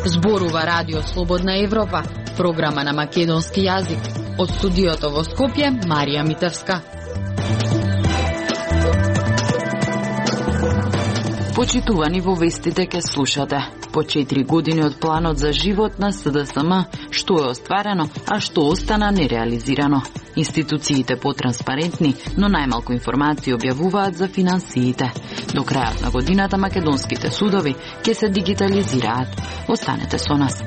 Зборува Радио Слободна Европа, програма на македонски јазик. Од студиото во Скопје, Марија Митевска. Почитувани, во вестите ке слушате. По 4 години од планот за живот на СДСМ, што е остварено, а што остана нереализирано. Институциите потранспарентни, но најмалку информации објавуваат за финансиите. До крајот на годината македонските судови ќе се дигитализираат. Останете со нас.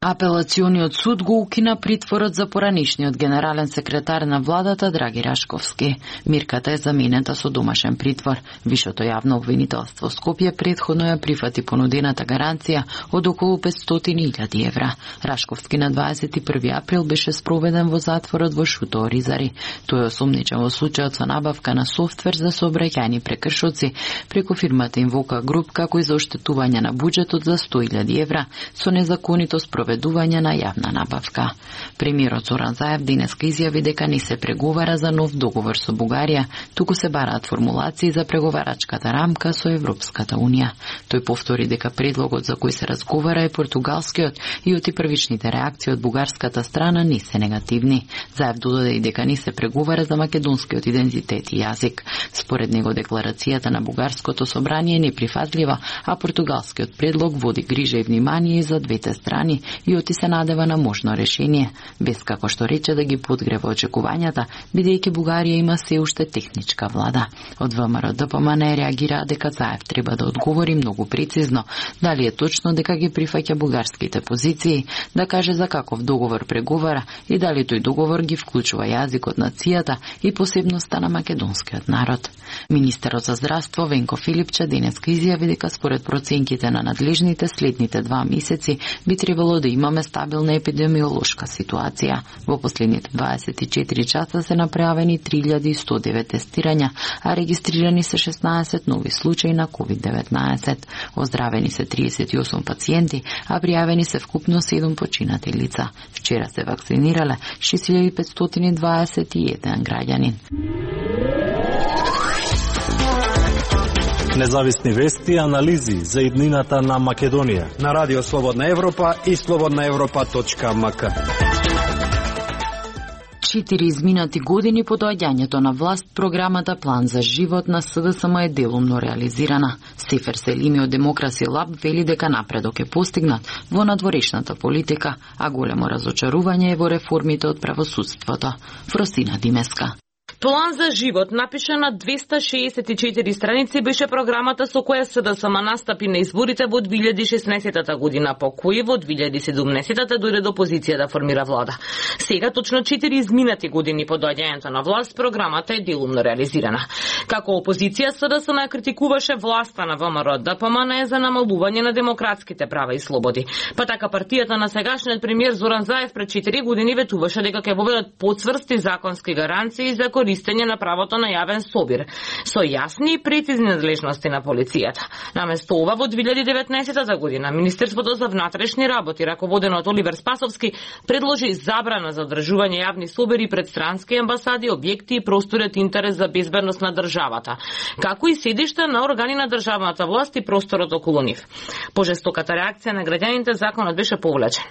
Апелациониот суд го укина притворот за поранишниот генерален секретар на владата Драги Рашковски. Мирката е заменета со домашен притвор. Вишото јавно обвинителство Скопје претходно ја прифати понудената гаранција од околу 500.000 евра. Рашковски на 21 април беше спроведен во затворот во Шуто Оризари. Тој е осомничен во случајот со набавка на софтвер за сообраќајни прекршоци преку фирмата Инвока Груп, како и за оштетување на буџетот за 100.000 евра со незаконито спроведување на јавна набавка. Премиерот Зоран Заев денеска изјави дека не се преговара за нов договор со Бугарија, туку се бараат формулации за преговарачката рамка со Европската Унија. Тој повтори дека предлогот за кој се разговара е португалскиот и оти првичните реакции од бугарската страна не се негативни. Заев додаде и дека не се преговара за македонскиот идентитет и јазик. Според него декларацијата на бугарското собрание е неприфатлива, а португалскиот предлог води грижа и внимание за двете страни и оти се надева на можно решение, без како што рече да ги подгрева очекувањата, бидејќи Бугарија има се уште техничка влада. Од ВМРО ДПМН реагира дека Заев треба да одговори многу прецизно дали е точно дека ги прифаќа бугарските позиции, да каже за каков договор преговара и дали тој договор ги вклучува јазикот, нацијата и посебноста на македонскиот народ. Министерот за здравство Венко Филипче денеска изјави дека според проценките на надлежните следните 2 месеци би требало да имаме стабилна епидемиолошка ситуација. Во последните 24 часа се направени 3109 тестирања, а регистрирани се 16 нови случаи на COVID-19. Оздравени се 38 пациенти, а пријавени се вкупно 7 починати лица. Вчера се вакцинирале 6521 граѓанин. Независни вести и анализи за иднината на Македонија на Радио Слободна Европа и slobodnaevropa.mk. 4 изминати години по доаѓањето на власт, програмата План за живот на СДСМ е делумно реализирана. Сефер Селими од Демокраси Лаб вели дека напредок е постигнат во надворешната политика, а големо разочарување е во реформите од правосудството. Фросина Димеска. План за живот, напишан на 264 страници, беше програмата со која СДСМ настапи на изборите во 2016 година, по кој во 2017 дојде до позиција да формира влада. Сега, точно 4 изминати години по доаѓањето на власт, програмата е делумно реализирана. Како опозиција, СДСМ ја критикуваше власта на ВМРО ДПМН за намалување на демократските права и слободи. Па така партијата на сегашниот премиер Зоран Заев пред 4 години ветуваше дека ќе воведат поцврсти законски гаранции за користење на правото на јавен собир, со јасни и прецизни надлежности на полицијата. Наместо ова, во 2019 година, Министерството за внатрешни работи, раководено од Оливер Спасовски, предложи забрана за одржување јавни собири пред странски амбасади, објекти и простори од интерес за безбедност на државата, како и седишта на органи на државната власт и просторот околу нив. По жестоката реакција на граѓаните, законот беше повлечен.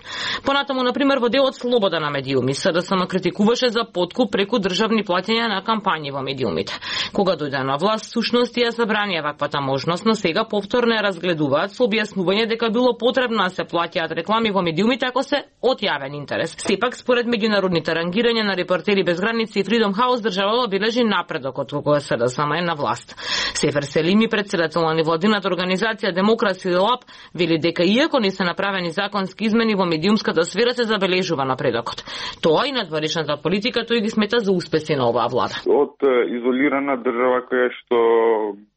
Понатаму, например, во делот слобода на медиуми, СДСМ критикуваше за подкуп преку државни платења на кампањи во медиумите. Кога дојде на власт, сушност ја забранија ваквата можност, но сега повторно ја разгледуваат со објаснување дека било потребно да се плаќаат реклами во медиумите ако се од јавен интерес. Сепак, според меѓународните рангирања на Репортери без граници и Freedom House, државата бележи напредок од кога СДСМ е на власт. Сефер Селими, председател на невладината организација Демокраси Лаб, вели дека иако не се направени законски измени во медиумската сфера, се забележува напредокот. Тоа и надворешната политика тој ги смета за успеси на оваа влада. Од изолирана држава која што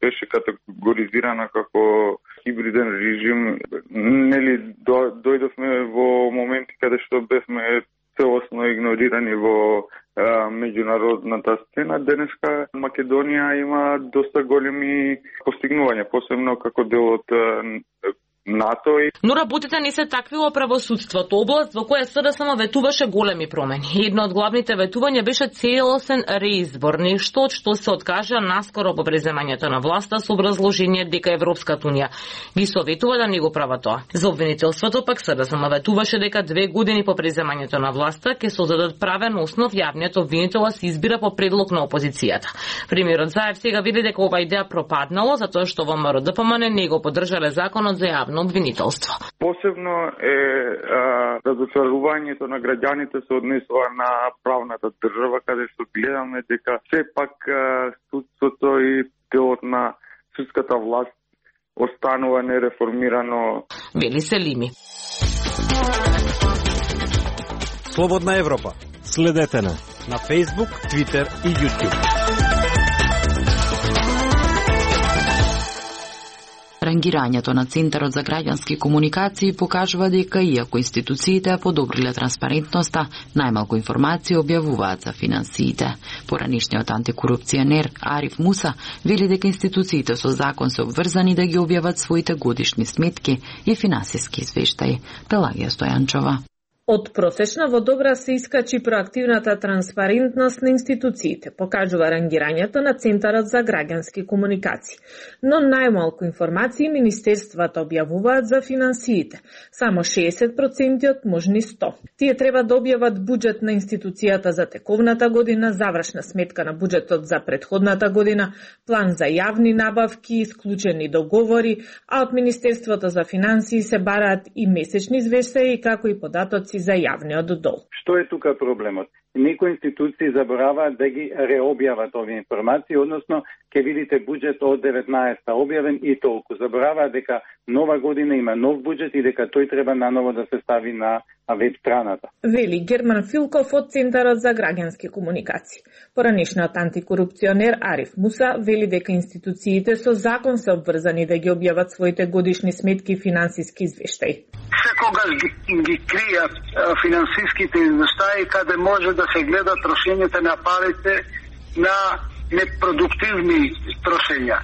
беше категоризирана како хибриден режим, нели дојдовме во моменти каде што бевме целосно игнорирани во меѓународната сцена. Денеска Македонија има доста големи постигнувања, посебно како дел од НАТО. Но работите не се такви во правосудството, област во која СДСМ ветуваше големи промени. Едно од главните ветувања беше целосен реизбор, нешто што се откажа наскоро по преземањето на власта со образложение дека Европската унија ги советува да не го права тоа. За обвинителството пак СДСМ ветуваше дека 2 години по преземањето на власта ќе создадат правен основ јавниот обвинител се избира по предлог на опозицијата. Премиерот Заев сега види дека ова идеја пропаднало затоа што во МРДПМН не го поддржале законот за јавно обвинителство. Посебно е разочарувањето на граѓаните се однесува на правната држава, каде што гледаме дека сепак судството и делот на судската власт останува нереформирано. Вели Селими. Слободна Европа. Следете на Facebook, Twitter и YouTube. Рангирањето на Центарот за граѓански комуникации покажува дека иако институциите ја подобриле транспарентноста, најмалку информации објавуваат за финансиите. Поранишниот антикорупционер Ариф Муса вели дека институциите со закон се обврзани да ги објават своите годишни сметки и финансиски извештаи. Пелагија Стојанчова. Од просечна во добра се искачи проактивната транспарентност на институциите, покажува рангирањето на Центарот за граѓански комуникации. Но најмалку информации министерствата објавуваат за финансиите, само 60% од можни 100. Тие треба да објават буџет на институцијата за тековната година, завршна сметка на буџетот за претходната година, план за јавни набавки, исклучени договори, а од Министерството за финансии се бараат и месечни извештаи, како и податоци за јавниот дол. Што е тука проблемот? Некои институции забораваат да ги реобјават овие информации, односно ќе видите буџет од 19-та објавен и толку. Забораваат дека нова година има нов буџет и дека тој треба наново да се стави на веб страната. Вели Герман Филков од Центарот за граѓански комуникации. Поранишниот антикорупционер Ариф Муса вели дека институциите со закон се обврзани да ги објават своите годишни сметки и финансиски извештаи. Секогаш ги кријат финансиските извештаи каде може да се гледа трошењето на парите на непродуктивни трошења.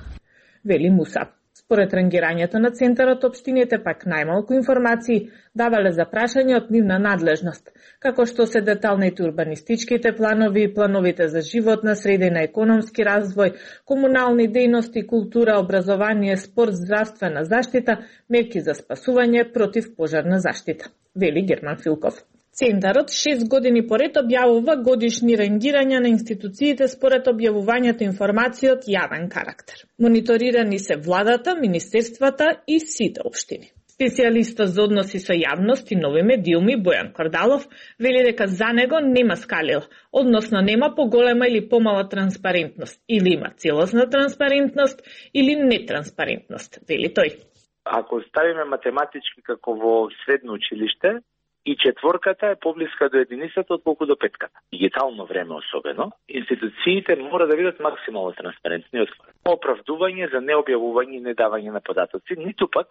Вели Муса. Според рангирањето на Центарот, општините пак најмалку информации давале за прашање од нивна надлежност, како што се деталните урбанистичките планови и плановите за животна средина, економски развој, комунални дејности, култура, образование, спорт, здравствена заштита, мерки за спасување, против пожарна заштита. Вели Герман Филков. Центарот 6 години поред објавува годишни рангирања на институциите според објавувањето информации од јавен карактер. Мониторирани се владата, министерствата и сите општини. Специјалистот за односи со јавност и нови медиуми Бојан Кордалов вели дека за него нема скалила, односно нема поголема или помала транспарентност, или има целосна транспарентност или нетранспарентност, вели тој. Ако ставиме математички како во средно училиште, и четворката е поблиска до единицата отколку до петката. Дигитално време особено, институциите мора да бидат максимално транспарентни и отворени. Оправдување за необјавување и недавање на податоци, ниту пак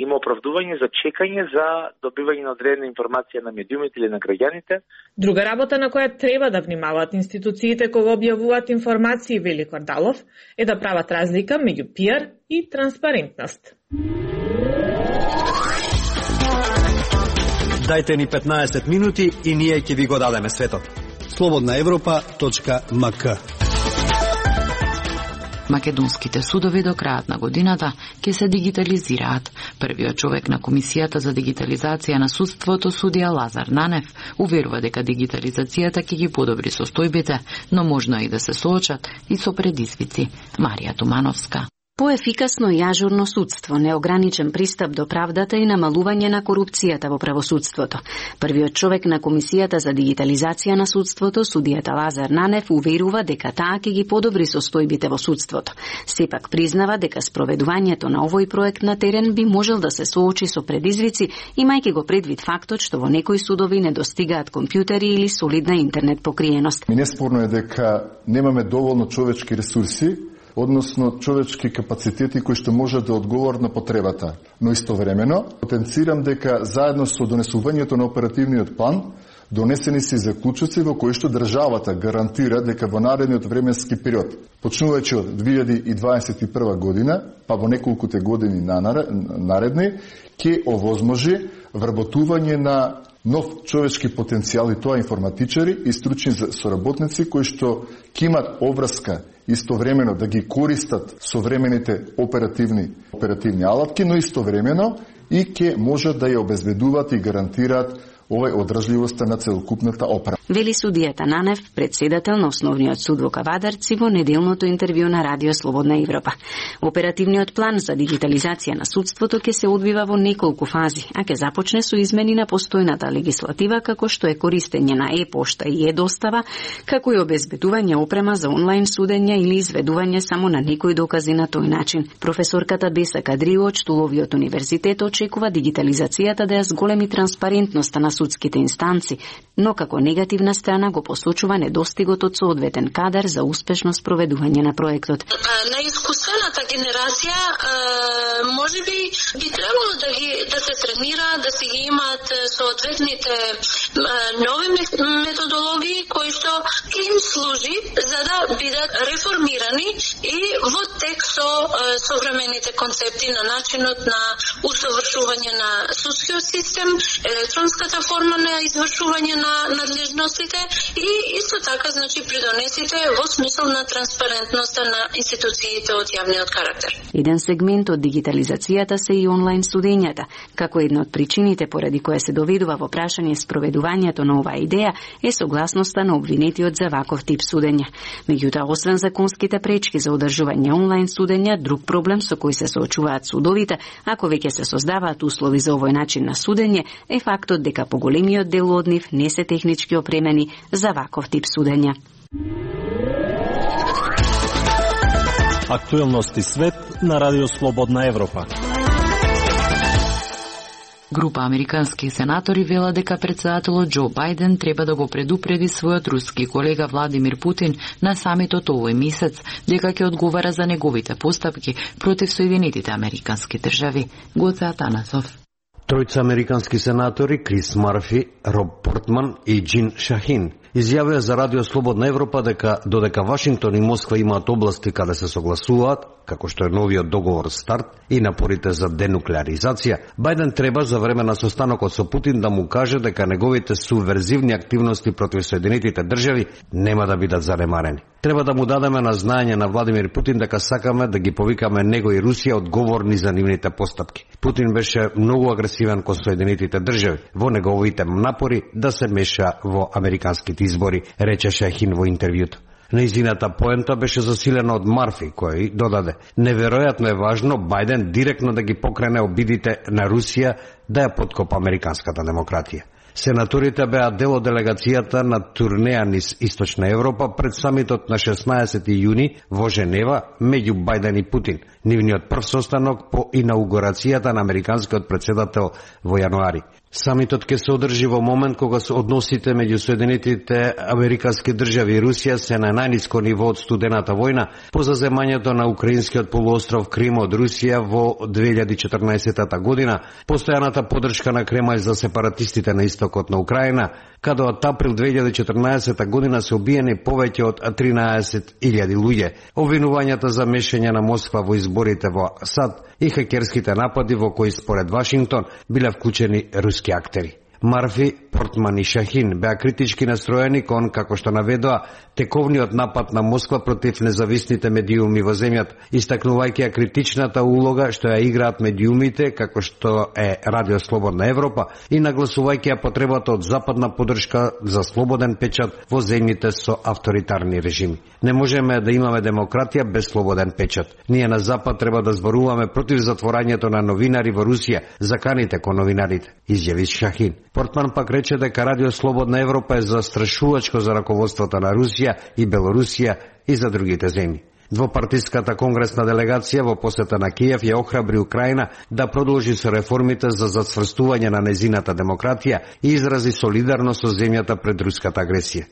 има оправдување за чекање за добивање на одредена информација на медиумите или на граѓаните. Друга работа на која треба да внимаваат институциите кога објавуваат информации, вели Кордалов, е да прават разлика меѓу пиар и транспарентност. Дајте ни 15 минути и ние ќе ви го дадеме светот. slobodnaevropa.mk. Македонските судови до крајот на годината ќе се дигитализираат. Првиот човек на Комисијата за дигитализација на судството, судија Лазар Нанев, уверува дека дигитализацијата ќе ги подобри состојбите, но можно и да се соочат и со предизвици. Марија Тумановска. Поефикасно и ажурно судство, неограничен пристап до правдата и намалување на корупцијата во правосудството. Првиот човек на Комисијата за дигитализација на судството, судијата Лазар Нанев, уверува дека таа ќе ги подобри состојбите во судството. Сепак признава дека спроведувањето на овој проект на терен би можел да се соочи со предизвици, имајќи го предвид фактот што во некои судови недостигаат компјутери или солидна интернет покриеност. Неспорно е дека немаме доволно човечки ресурси, односно човечки капацитети кои што можат да одговорат на потребата. Но истовремено, потенцирам дека заедно со донесувањето на оперативниот план, Донесени се заклучоци во кои што државата гарантира дека во наредниот временски период, почнувајќи од 2021 година, па во неколкуте години наредни, ќе овозможи вработување на нов човечки потенцијал, и тоа информатичари и стручни соработници кои што ќе имат обврска истовремено да ги користат современите оперативни алатки, но истовремено и ќе можат да ја обезбедуваат и гарантираат овај одржливоста на целокупната опера. Вели судијата Нанев, председател на Основниот суд во Кавадарци, во неделното интервју на Радио Слободна Европа. Оперативниот план за дигитализација на судството ќе се одвива во неколку фази, а ќе започне со измени на постојната легислатива, како што е користење на e-пошта и e-достава, како и обезбедување опрема за онлайн судење или изведување само на некои докази на тој начин. Професорката Беса Кадрио од Штуловиот универзитет очекува дигитализацијата да ја зголеми транспарентноста на судските инстанци, но како негативна страна го посочува недостигот од соодветен кадар за успешно спроведување на проектот. Најискуствената генерација можеби би требало да се тренира, да се ги имаат соодветните нови методологии кои што им служи за да бидат реформирани и во текст со современите концепти на начинот на усовршување на судскиот систем, електронската форма на извршување на надлежностите и исто така придонесите во смисол на транспарентноста на институциите од јавниот карактер. Еден сегмент од дигитализацијата се и онлайн судењата, како една од причините поради која се доведува во прашање спроведувањето на оваа идеја е согласноста на обвинетиот за ваков тип судење. Меѓутоа, освен законските пречки за одржување онлайн судења, друг проблем со кој се соочуваат судовите, ако веќе се создаваат услови за овој начин на судење, е фактот дека поголемиот дел од нив не се технички опремени за ваков тип судења. Актуелности свет на Радио Слободна Европа. Група американски сенатори вела дека председателот Џо Бајден треба да го предупреди својот руски колега Владимир Путин на самитот овој месец дека ќе одговара за неговите постапки против Соединетите американски држави. Гоце Атанасов. Тројца американски сенатори Крис Марфи, Роб Портман и Джин Шахин изјавија за Радио Слободна Европа дека додека Вашингтон и Москва имаат области каде се согласуваат, како што е новиот договор старт и напорите за денуклеаризација, Бајден треба за време на состанокот со Путин да му каже дека неговите субверзивни активности против Соединетите држави нема да бидат занемарени. Треба да му дадеме на знаење на Владимир Путин дека сакаме да ги повикаме него и Русија одговорни за нивните постапки. Путин беше многу агресивен кон Соединетите држави во неговите напори да се меша во американските избори, рече Шахин во интервјуто. Нејзината поента беше засилена од Марфи, кој додаде: неверојатно е важно Бајден директно да ги покрене обидите на Русија да ја подкопа американската демократија. Сенаторите беа дел од делегацијата на турнеја низ Источна Европа пред самитот на 16 јуни во Женева меѓу Бајден и Путин, нивниот прв состанок по инаугурацијата на американскиот председател во јануари. Самитот ќе се одржи во момент кога односите меѓу Соединетите американски држави и Русија се на најниско ниво од студената војна по заземањето на украинскиот полуостров Крим од Русија во 2014 година, постојаната поддршка на Кремљ за сепаратистите на истокот на Украина, каде од април 2014 година се убиени повеќе од 13.000 луѓе, обвинувањата за мешање на Москва во изборите во САД и хакерските напади во кои според Вашингтон биле вклучени руски актери. Марфи, Портман и Шахин беа критички настроени кон, како што наведоа, тековниот напад на Москва против независните медиуми во земјата, истакнувајќи ја критичната улога што ја играат медиумите, како што е Радио Слободна Европа, и нагласувајќи ја потребата од западна поддршка за слободен печат во земјите со авторитарни режими. Не можеме да имаме демократија без слободен печат. Ние на Запад треба да зборуваме против затворањето на новинари во Русија, заканите кон новинарите, изјави Шахин. Портман пак рече дека Радио Слободна Европа е застрашувачко за раководството на Русија и Белорусија и за другите земји. Двопартиската конгресна делегација во посета на Киев ја охрабри Украина да продолжи со реформите за зацврстување на незината демократија и изрази солидарност со земјата пред руската агресија.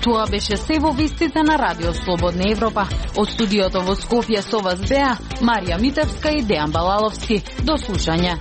Тоа беше се во вестите на Радио Слободна Европа. Од студиото во Скопје со вас беа Марија Митевска и Дејан Балаловски. До слушање.